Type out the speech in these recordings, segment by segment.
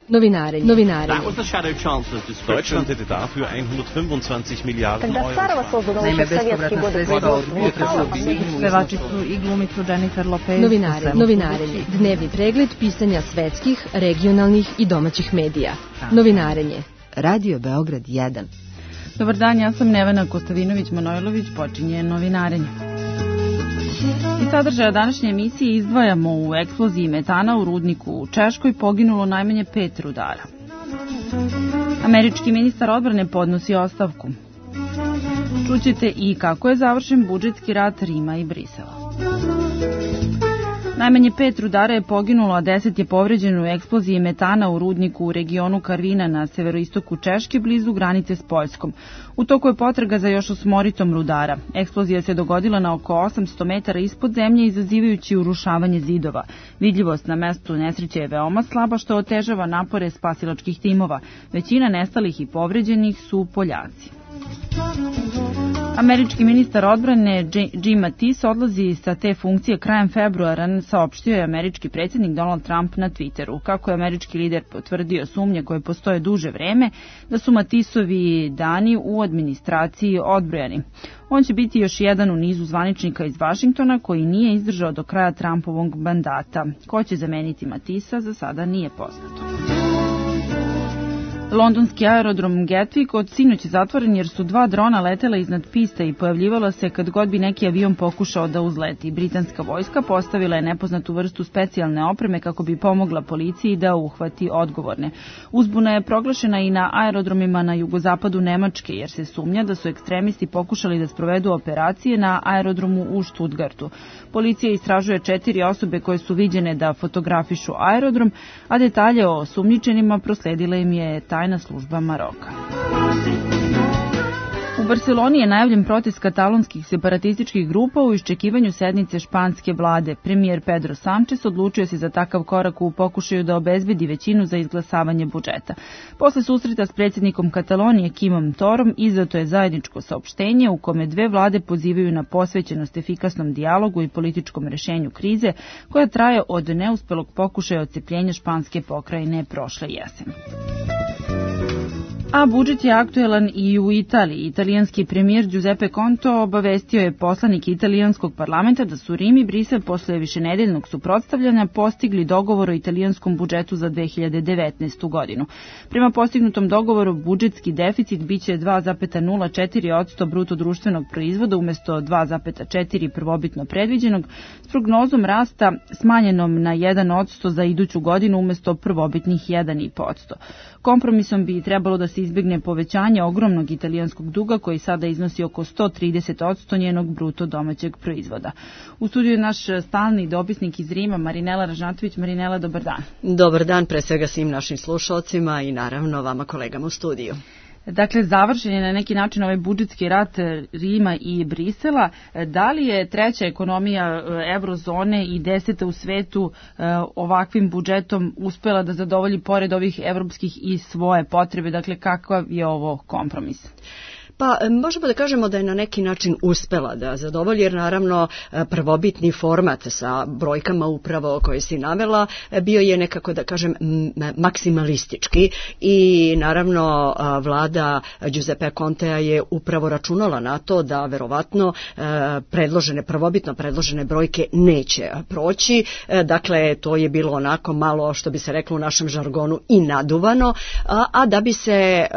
Novinarenje. Deutschland hätte dafür 125 Milijarden Когда старого создан еще в советские годы Pevačicu i glumicu Jennifer Lopez. Novinarenje. Dnevni pregled pisanja svetskih, regionalnih i domaćih medija. Novinarenje. Radio Beograd 1. Dobar dan, ja sam Nevena Kostavinović-Manojlović, počinje Novinarenje. Iz sadržaja današnje emisije izdvajamo u eksploziji metana u rudniku u Češkoj poginulo najmanje 5 rudara. Američki ministar odbrane podnosi ostavku. Čućete i kako je završen budžetski rat Rima i Brisela. Najmanje 5 rudara je poginulo, a 10 je povređeno u eksploziji metana u rudniku u regionu Karvina na severoistoku Češke, blizu granice s Poljskom. U toku je potraga za još 8 rudara. Eksplozija se dogodila na oko 800 metara ispod zemlje, izazivajući urušavanje zidova. Vidljivost na mestu nesreće je veoma slaba, što otežava napore spasilačkih timova. Većina nestalih i povređenih su Poljaci. Američki ministar odbrane Jim Mattis odlazi sa te funkcije krajem februara, saopštio je američki predsjednik Donald Trump na Twitteru. Kako je američki lider potvrdio sumnje koje postoje duže vreme da su Mattisovi dani u administraciji odbrojani. On će biti još jedan u nizu zvaničnika iz Vašingtona koji nije izdržao do kraja Trumpovog mandata. Ko će zameniti Mattisa, za sada nije poznato. Londonski aerodrom Gatwick od sinoć je zatvoren jer su 2 drona letela iznad piste i pojavljivala se kad god bi neki avion pokušao da uzleti. Britanska vojska postavila je nepoznatu vrstu specijalne opreme kako bi pomogla policiji da uhvati odgovorne. Uzbuna je proglašena i na aerodromima na jugozapadu Nemačke jer se sumnja da su ekstremisti pokušali da sprovedu operacije na aerodromu u Stuttgartu. Policija istražuje 4 osobe koje su viđene da fotografišu aerodrom, a detalje o osumnjičenima prosledila im je tajna služba Maroka. U Barceloni je najavljen protest katalonskih separatističkih grupa u iščekivanju sednice španske vlade. Premijer Pedro Sánchez odlučio se za takav korak u pokušaju da obezbedi većinu za izglasavanje budžeta. Posle susreta s predsjednikom Katalonije Quimom Torom izdato je zajedničko saopštenje u kome 2 vlade pozivaju na posvećenost efikasnom dijalogu i političkom rešenju krize koja traje od neuspelog pokušaja odcepljenja španske pokrajine prošle jeseni. A budžet je aktuelan i u Italiji. Italijanski premijer Giuseppe Conte obavestio je poslanike italijanskog parlamenta da su Rim i Brisel posle višenedeljnog suprotstavljanja postigli dogovor o italijanskom budžetu za 2019. godinu. Prema postignutom dogovoru budžetski deficit biće 2,04% bruto društvenog proizvoda umesto 2,4% prvobitno predviđenog, s prognozom rasta smanjenom na 1% za iduću godinu umesto prvobitnih 1,5%. Kompromisom bi trebalo da se izbjegne povećanje ogromnog italijanskog duga koji sada iznosi oko 130% njenog bruto domaćeg proizvoda. U studiju je naš stalni dopisnik iz Rima, Marinela Ražnatović. Marinela, dobar dan. Dobar dan, pre svega svim našim slušalcima i naravno vama kolegama u studiju. Dakle, završen je na neki način ovaj budžetski rat Rima i Brisela. Da li je treća ekonomija eurozone i 10. u svetu ovakvim budžetom uspela da zadovolji pored ovih evropskih i svoje potrebe? Dakle, kakav je ovo kompromis? Pa možemo da kažemo da je na neki način uspela da zadovolji, jer naravno prvobitni format sa brojkama upravo koje si navela bio je nekako, da kažem, maksimalistički i naravno vlada Contea je upravo računala na to da verovatno prvobitno predložene brojke neće proći. Dakle, to je bilo onako malo, što bi se reklo u našem žargonu, i naduvano, a da bi se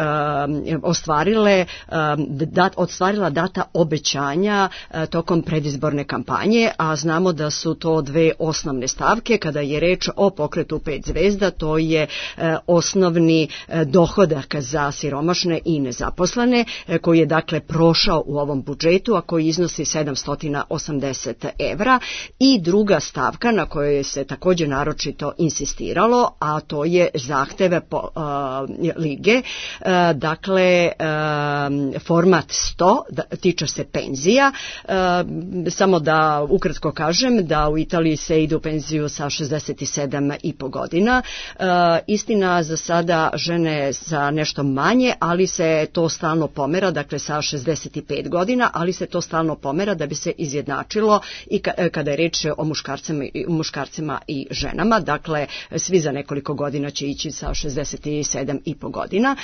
ostvarila data obećanja tokom predizborne kampanje, a znamo da su to 2 osnovne stavke. Kada je reč o pokretu 5 zvezda, to je osnovni dohodak za siromašne i nezaposlene, koji je dakle prošao u ovom budžetu, a koji iznosi 780 evra, i druga stavka na kojoj se također naročito insistiralo, a to je zahteve Lige, dakle format 100, tiče se penzija. Samo da ukratko kažem da u Italiji se ide u penziju sa 67,5 godina. Istina, za sada žene sa nešto manje, ali se to stalno pomera, dakle sa 65 godina, ali se to stalno pomera da bi se izjednačilo i kada je reč o muškarcima i ženama. Dakle, svi za nekoliko godina će ići sa 67,5 godina.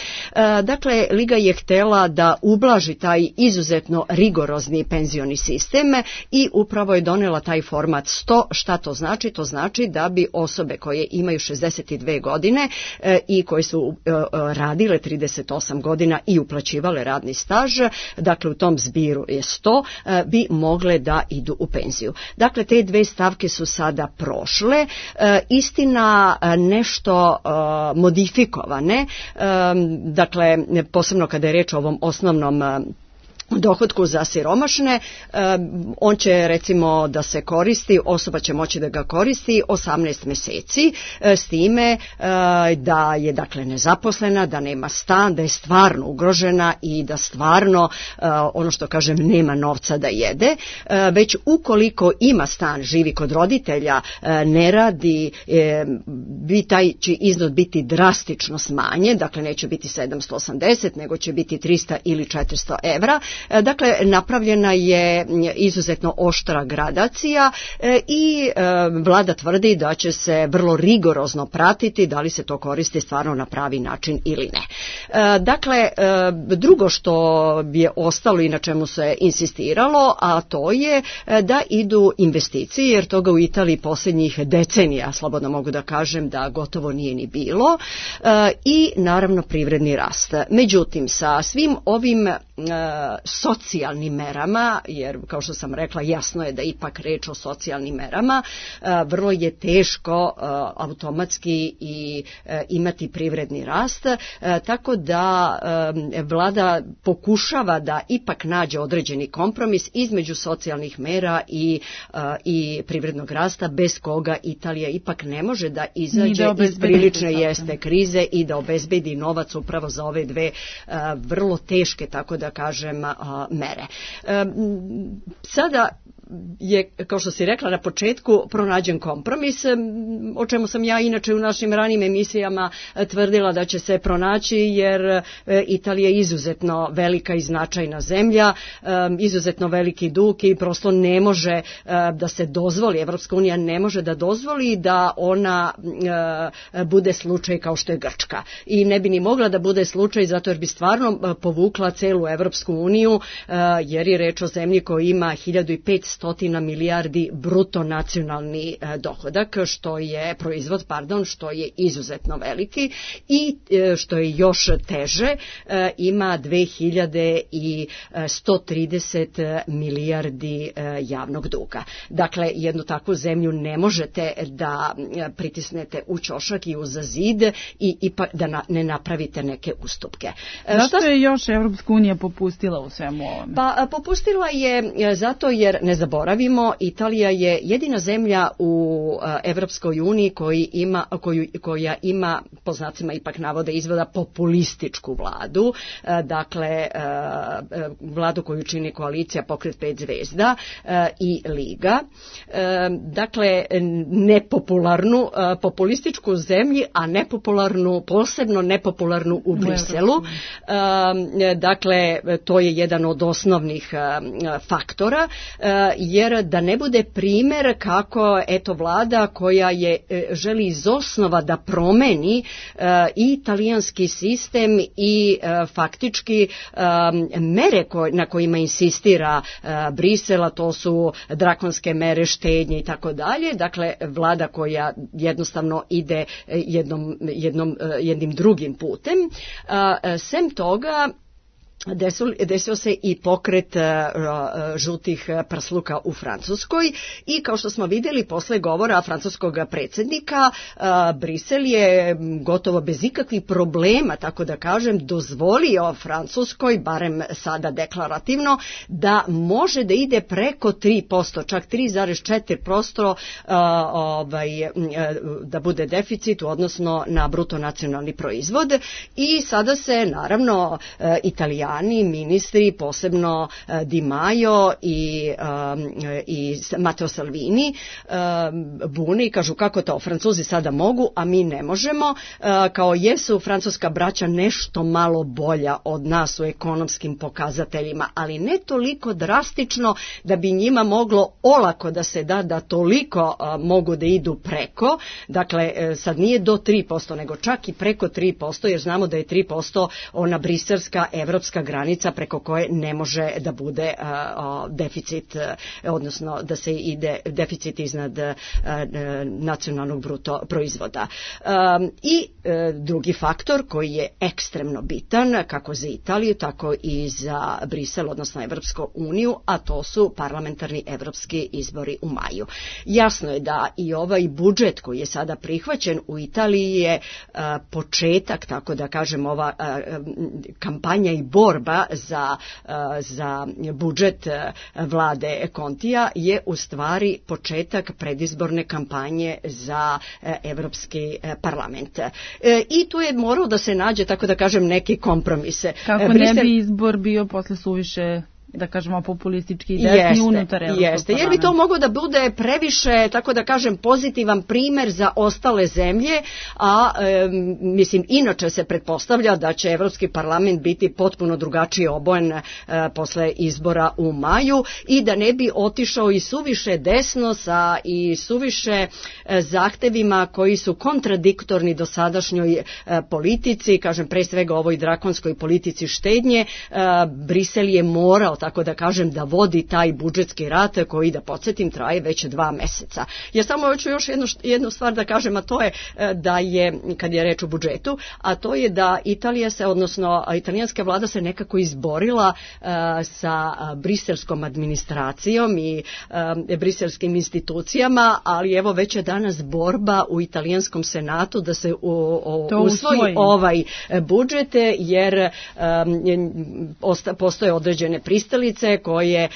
Dakle, Liga je htela da ublaži taj izuzetno rigorozni penzioni sistem i upravo je donela taj format 100. Šta to znači? To znači da bi osobe koje imaju 62 godine i koje su radile 38 godina i uplaćivale radni staž, dakle u tom zbiru je 100, bi mogle da idu u penziju. Dakle, te dve stavke su sada prošle, istina nešto modifikovane, dakle posebno kada je reč o ovom osnovnom dohotku za siromašne, on će recimo da se koristi, osoba će moći da ga koristi 18 meseci, s time da je dakle nezaposlena, da nema stan, da je stvarno ugrožena i da stvarno, ono što kažem, nema novca da jede, već ukoliko ima stan, živi kod roditelja, ne radi, bi taj će iznos biti drastično smanjen, dakle neće biti 780, nego će biti 300 ili 400 evra. Dakle, napravljena je izuzetno oštra gradacija i vlada tvrdi da će se vrlo rigorozno pratiti da li se to koristi stvarno na pravi način ili ne. Dakle, drugo što je ostalo i na čemu se insistiralo, a to je da idu investicije, jer toga u Italiji posljednjih decenija, slobodno mogu da kažem, da gotovo nije ni bilo, i naravno privredni rast. Međutim, sa svim ovim socijalnim merama, jer kao što sam rekla, jasno je da ipak reč o socijalnim merama, vrlo je teško automatski i imati privredni rast, tako da vlada pokušava da ipak nađe određeni kompromis između socijalnih mera i privrednog rasta, bez koga Italija ipak ne može da izađe iz prilične krize i da obezbedi novac upravo za ove dve vrlo teške, tako da kažem, mere. Sada je, kao što si rekla na početku, pronađen kompromis, o čemu sam ja inače u našim ranijim emisijama tvrdila da će se pronaći, jer Italija je izuzetno velika i značajna zemlja, izuzetno veliki dug i prosto ne može da se dozvoli, Evropska unija ne može da dozvoli da ona bude slučaj kao što je Grčka. I ne bi ni mogla da bude slučaj, zato jer bi stvarno povukla celu Evropsku uniju, jer je reč o zemlji koja ima 1500 milijardi bruto nacionalni dohodak, što je proizvod, što je izuzetno veliki, i što je još teže, ima 2130 milijardi javnog duga. Dakle, jednu takvu zemlju ne možete da pritisnete u ćošak i uza zid i da ne napravite neke ustupke. Zašto je još Evropska unija popustila u svemu ovome? Pa popustila je zato jer, ne zaboravimo, Italija je jedina zemlja u Evropskoj uniji koja ima, po znacima ipak navode izvoda, populističku vladu, dakle vladu koju čini koalicija Pokret 5 zvezda i Liga, dakle nepopularnu, populističku zemlji, a nepopularnu, posebno nepopularnu u Briselu. Dakle, to je jedan od osnovnih faktora, jer da ne bude primjer kako vlada koja želi iz osnova da promeni i italijanski sistem i faktički mere na kojima insistira Brisela, to su drakonske mere štednje i tako dalje. Dakle, vlada koja jednostavno ide jednim drugim putem. Sem toga, desio se i pokret žutih prsluka u Francuskoj i kao što smo vidjeli posle govora francuskog predsjednika, Brisel je gotovo bez ikakvih problema, tako da kažem, dozvolio Francuskoj, barem sada deklarativno, da može da ide preko 3%, čak 3,4% da bude deficit, odnosno na bruto nacionalni proizvod. I sada se naravno Italijani strani ministri, posebno Di Maio i Matteo Salvini, buni i kažu kako to, Francuzi sada mogu, a mi ne možemo, kao jesu francuska braća nešto malo bolja od nas u ekonomskim pokazateljima, ali ne toliko drastično da bi njima moglo olako da se da toliko mogu da idu preko, dakle sad nije do 3%, nego čak i preko 3%, jer znamo da je 3% ona briselska evropska granica preko koje ne može da bude deficit, odnosno da se ide deficit iznad nacionalnog bruto proizvoda. I drugi faktor koji je ekstremno bitan, kako za Italiju, tako i za Brisel, odnosno Evropsku uniju, a to su parlamentarni evropski izbori u maju. Jasno je da i ovaj budžet koji je sada prihvaćen u Italiji je početak, tako da kažem, ova kampanja i borba za budžet vlade Kontija je u stvari početak predizborne kampanje za Evropski parlament. I tu je morao da se nađe, tako da kažem, neki kompromise. Kako ne bi izbor bio posle suviše, da kažemo, populistički i desni unutar Evropskog parlamenta. Jer bi to moglo da bude previše, tako da kažem, pozitivan primer za ostale zemlje, a mislim, inače se pretpostavlja da će Evropski parlament biti potpuno drugačije obojen posle izbora u maju i da ne bi otišao i suviše desno sa i suviše zahtevima koji su kontradiktorni dosadašnjoj politici, kažem, pre svega ovoj drakonskoj politici štednje. Brisel je morao, tako da kažem, da vodi taj budžetski rat koji, da podsjetim, traje već 2 meseca. Ja samo hoću još jednu stvar da kažem, a to je da je, kad je reč o budžetu, a to je da Italija se, odnosno italijanska vlada se nekako izborila sa briselskom administracijom i briselskim institucijama, ali evo već je danas borba u italijanskom senatu da se usvoji ovaj budžet, jer postoje određene pristalice koje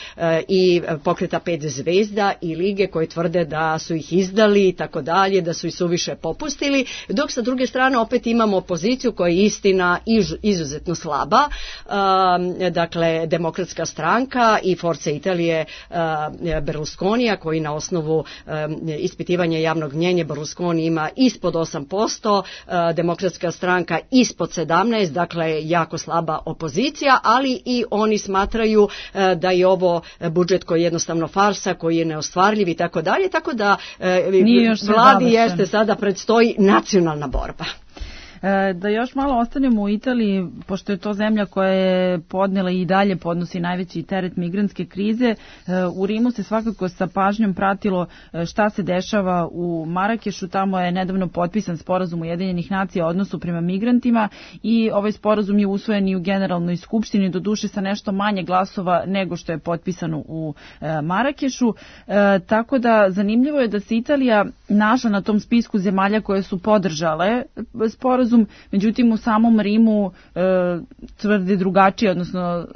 i pokreta 5 zvezda i lige koje tvrde da su ih izdali i tako dalje, da su ih suviše popustili, dok sa druge strane opet imamo opoziciju koja je istina izuzetno slaba, dakle Demokratska stranka i Forza Italije Berlusconija, koji na osnovu ispitivanja javnog mnjenja Berlusconi ima ispod 8%, Demokratska stranka ispod 17%, dakle jako slaba opozicija, ali i oni smatraju da je ovo budžet koji je jednostavno farsa, koji je neostvarljiv i tako dalje, tako da vladi jeste sada predstoji nacionalna borba. Da još malo ostanemo u Italiji, pošto je to zemlja koja je podnela i dalje podnosi najveći teret migrantske krize. U Rimu se svakako sa pažnjom pratilo šta se dešava u Marakešu. Tamo je nedavno potpisan sporazum Ujedinjenih nacija o odnosu prema migrantima i ovaj sporazum je usvojen i u Generalnoj skupštini, doduše sa nešto manje glasova nego što je potpisano u Marakešu. Tako da zanimljivo je da se Italija našla na tom spisku zemalja koje su podržale sporazum. Međutim, u samom Rimu tvrde drugačije, odnosno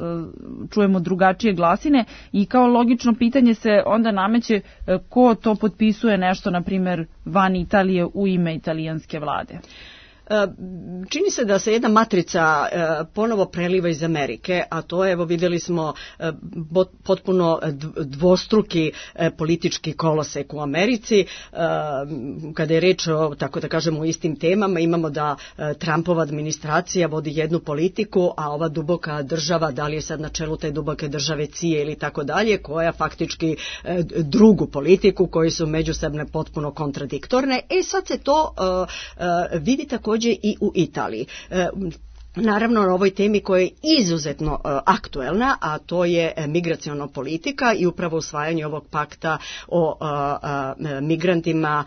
čujemo drugačije glasine i kao logično pitanje se onda nameće ko to potpisuje nešto, na primjer, van Italije u ime italijanske vlade. Čini se da se jedna matrica ponovo preliva iz Amerike, a to je, evo vidjeli smo potpuno dvostruki politički kolosek u Americi. Kada je reč o, tako da kažemo, o istim temama, imamo da Trumpova administracija vodi jednu politiku, a ova duboka država, da li je sad na čelu te duboke države CIA ili tako dalje, koja faktički drugu politiku, koji su međusobno potpuno kontradiktorne. Sad se to vidi također i u Italiji. Naravno, na ovoj temi koja je izuzetno aktuelna, a to je migraciona politika i upravo usvajanje ovog pakta o migrantima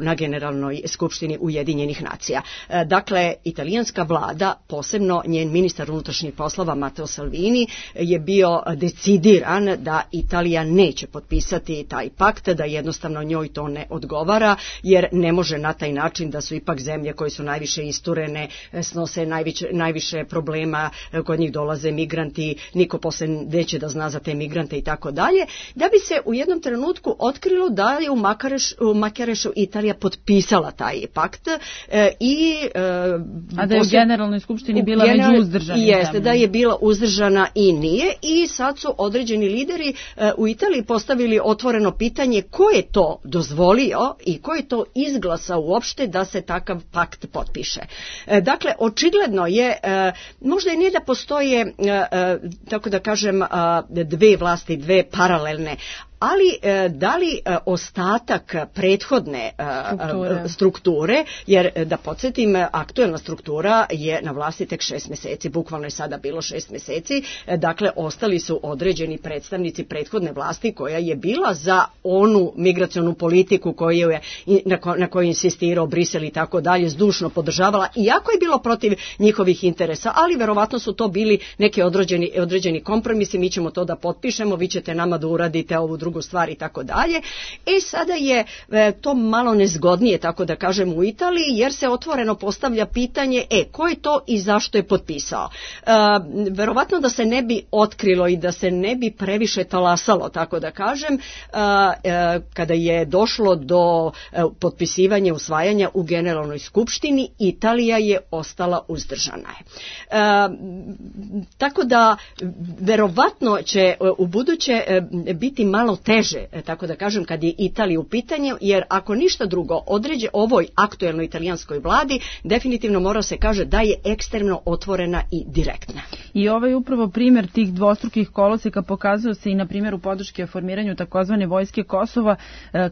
na Generalnoj skupštini Ujedinjenih nacija. Dakle, italijanska vlada, posebno njen ministar unutrašnjih poslova Matteo Salvini, je bio decidiran da Italija neće potpisati taj pakt, da jednostavno njoj to ne odgovara, jer ne može na taj način da su ipak zemlje koje su najviše isturene snose posle najviše problema, kod njih dolaze migranti, niko posle neće da zna za te migrante i tako dalje, da bi se u jednom trenutku otkrilo da je u Makarešu Italija potpisala taj pakt i a da je u Generalnoj skupštini bila među uzdržanim. Jeste, da je bila uzdržana i nije, i sad su određeni lideri u Italiji postavili otvoreno pitanje ko je to dozvolio i ko je to izglasao uopšte da se takav pakt potpiše. Dakle, očigledno je, možda i nije da postoje, tako da kažem, dve vlasti, dve paralelne, ali da li ostatak prethodne strukture, jer da podsjetim, aktuelna struktura je na vlasti tek 6 meseci, bukvalno je sada bilo 6 meseci, dakle ostali su određeni predstavnici prethodne vlasti koja je bila za onu migracionu politiku na kojoj je insistirao Brisel i tako dalje, zdušno podržavala, iako je bilo protiv njihovih interesa, ali verovatno su to bili neki određeni kompromisi, mi ćemo to da potpišemo, vi ćete nama da uradite ovu drugu stvar i tako dalje. Sada je to malo nezgodnije, tako da kažem, u Italiji, jer se otvoreno postavlja pitanje ko je to i zašto je potpisao. Verovatno da se ne bi otkrilo i da se ne bi previše talasalo, tako da kažem, kada je došlo do potpisivanja, usvajanja u Generalnoj skupštini, Italija je ostala uzdržana. Tako da verovatno će u buduće biti malo teže, tako da kažem, kad je Italija u pitanju, jer ako ništa drugo ovoj aktuelnoj italijanskoj vladi definitivno mora se kaže da je ekstremno otvorena i direktna. I ovaj upravo primjer tih dvostrukih koloseka pokazuje se i na primjeru podrške formiranju takozvane vojske Kosova,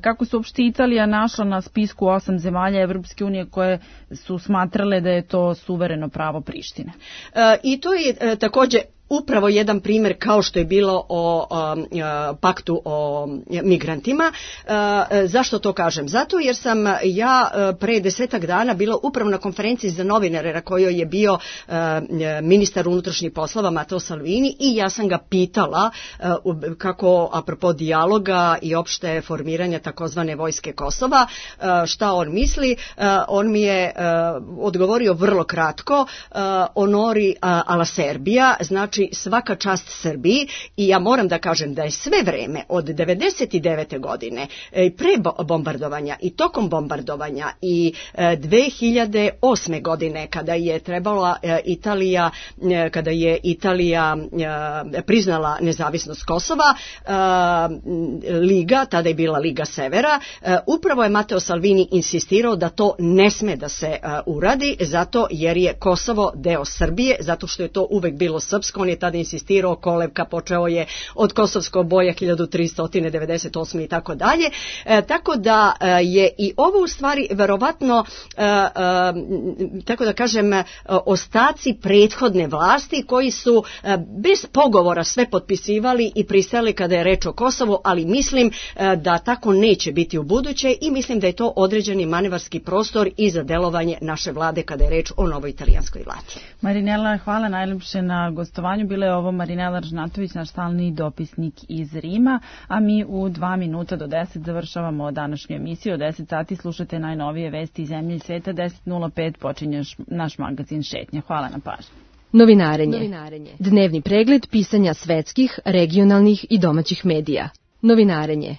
kako se uopšte Italija našla na spisku 8 zemalja Evropske unije koje su smatrale da je to suvereno pravo Prištine. I to je takođe upravo jedan primjer kao što je bilo o paktu o migrantima. Zašto to kažem? Zato jer sam ja pre 10 dana bila upravo na konferenciji za novinare na kojoj je bio ministar unutrašnjih poslova Matteo Salvini i ja sam ga pitala kako apropo dijaloga i opšte formiranja takozvane vojske Kosova, šta on misli. On mi je odgovorio vrlo kratko, onori alla Serbia, znači svaka čast Srbiji, i ja moram da kažem da je sve vreme od 99. godine pre bombardovanja i tokom bombardovanja i 2008. godine kada je trebala Italija priznala nezavisnost Kosova, Liga, tada je bila Liga Severa, upravo je Matteo Salvini insistirao da to ne sme da se uradi, zato jer je Kosovo deo Srbije, zato što je to uvek bilo srpsko. On je tada insistirao, kolevka počeo je od Kosovskog boja 1398. i tako dalje. Tako da je i ovo u stvari verovatno, tako da kažem, ostaci prethodne vlasti koji su bez pogovora sve potpisivali i pristali kada je reč o Kosovu, ali mislim da tako neće biti u buduće i mislim da je to određeni manevarski prostor i za delovanje naše vlade kada je reč o novoj italijanskoj vladi. Marinela, hvala najlepše na gostovanju. Bila je ovo Marinela Ražnatović, naš stalni dopisnik iz Rima, a mi u 2 minuta do 10 završavamo današnju emisiju. O 10 sati slušate najnovije vesti iz zemlje i sveta. 10:05 počinje naš magazin Šetnja. Hvala na pažnji. Novinarenje. Dnevni pregled pisanja svetskih, regionalnih i domaćih medija. Novinarenje.